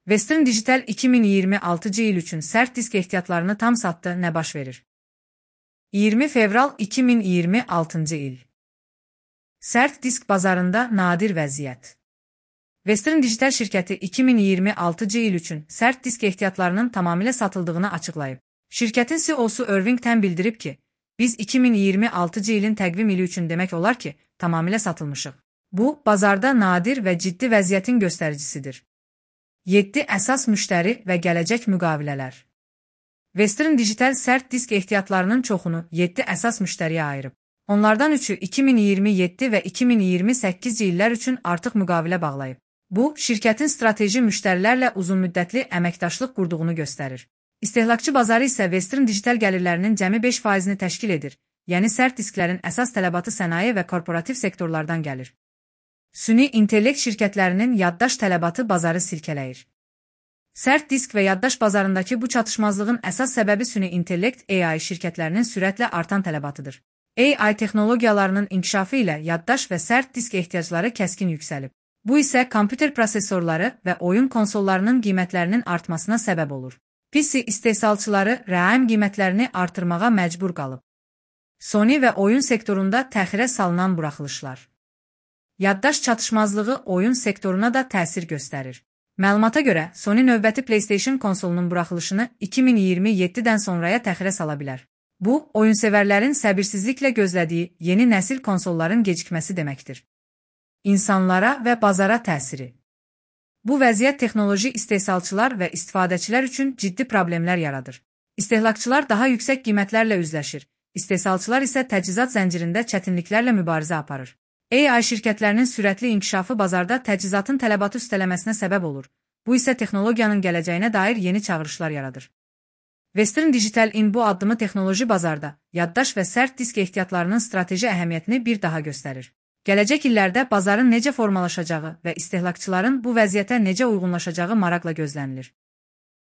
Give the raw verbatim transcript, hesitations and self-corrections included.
Western Digital iki min iyirmi altıncı il üçün sərt disk ehtiyatlarını tam satdı, nə baş verir? iyirmi fevral iki min iyirmi altıncı il. Sərt disk bazarında nadir vəziyyət. Western Digital şirkəti iki min iyirmi altıncı il üçün sərt disk ehtiyatlarının tamamilə satıldığını açıqlayıb. Şirkətin C E O'su Irving Tan bildirib ki, biz iki min iyirmi altıncı ilin təqvim ili üçün demək olar ki, tamamilə satılmışıq. Bu, bazarda nadir və ciddi vəziyyətin göstəricisidir. yeddi əsas müştəri və gələcək müqavilələr. Western Digital sərt disk ehtiyatlarının çoxunu yeddi əsas müştəriyə ayırıb. Onlardan üçü iki min iyirmi yeddi və iki min iyirmi səkkizinci illər üçün artıq müqavilə bağlayıb. Bu, şirkətin strateji müştərilərlə uzunmüddətli əməkdaşlıq qurduğunu göstərir. İstehlakçı bazarı isə Western Digital gəlirlərinin cəmi beş faizini təşkil edir, yəni sərt disklərin əsas tələbatı sənaye və korporativ sektorlardan gəlir. Süni intellekt şirkətlərinin yaddaş tələbatı bazarı silkələyir. Sərt disk və yaddaş bazarındakı bu çatışmazlığın əsas səbəbi süni intellekt A I şirkətlərinin sürətlə artan tələbatıdır. A I texnologiyalarının inkişafı ilə yaddaş və sərt disk ehtiyacları kəskin yüksəlib. Bu isə kompüter prosesorları və oyun konsollarının qiymətlərinin artmasına səbəb olur. P C istehsalçıları rəam qiymətlərini artırmağa məcbur qalıb. Sony və oyun sektorunda təxirə salınan buraxılışlar. Yaddaş çatışmazlığı oyun sektoruna da təsir göstərir. Məlumata görə, Sony növbəti PlayStation konsolunun buraxılışını iki min iyirmi yeddidən sonraya təxirə sala bilər. Bu, oyunsevərlərin səbirsizliklə gözlədiyi yeni nəsil konsolların gecikməsi deməkdir. İnsanlara və bazara təsiri. Bu vəziyyət texnoloji istehsalçılar və istifadəçilər üçün ciddi problemlər yaradır. İstehlakçılar daha yüksək qiymətlərlə üzləşir, istehsalçılar isə təchizat zəncirində çətinliklərlə mübarizə aparır. A I şirkətlərinin sürətli inkişafı bazarda təchizatın tələbatı üstələməsinə səbəb olur. Bu isə texnologiyanın gələcəyinə dair yeni çağırışlar yaradır. Western Digital-in bu addımı texnoloji bazarda, yaddaş və sərt disk ehtiyatlarının strateji əhəmiyyətini bir daha göstərir. Gələcək illərdə bazarın necə formalaşacağı və istehlakçıların bu vəziyyətə necə uyğunlaşacağı maraqla gözlənilir.